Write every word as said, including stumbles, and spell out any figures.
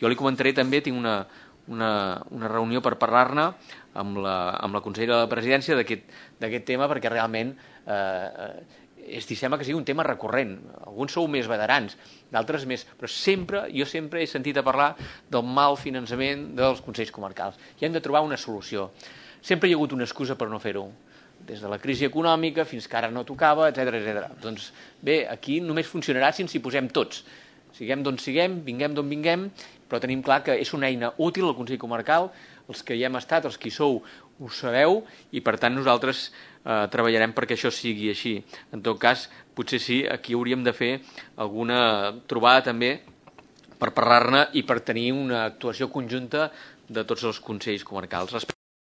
Jo li comentaré també, tinc una, una, una reunió per parlar-ne amb la, amb la consellera de la presidència d'aquest tema, perquè realment eh, és, sembla que sigui un tema recurrent. Alguns sou més veterans, d'altres més, però sempre, jo sempre he sentit a parlar del mal finançament dels consells comarcals. I hem de trobar una solució. Sempre hi ha hagut una excusa per no fer-ho, des de la crisi econòmica fins que ara no tocava, etcètera, etcètera. Doncs bé, aquí només funcionarà si ens hi posem tots. Siguem d'on siguem, vinguem d'on vinguem, però tenim clar que és una eina útil al Consell Comarcal, els que hi hem estat, els que hi sou, ho sabeu, i per tant nosaltres eh, treballarem perquè això sigui així. En tot cas, potser sí, aquí hauríem de fer alguna trobada també per parlar-ne i per tenir una actuació conjunta de tots els consells comarcals.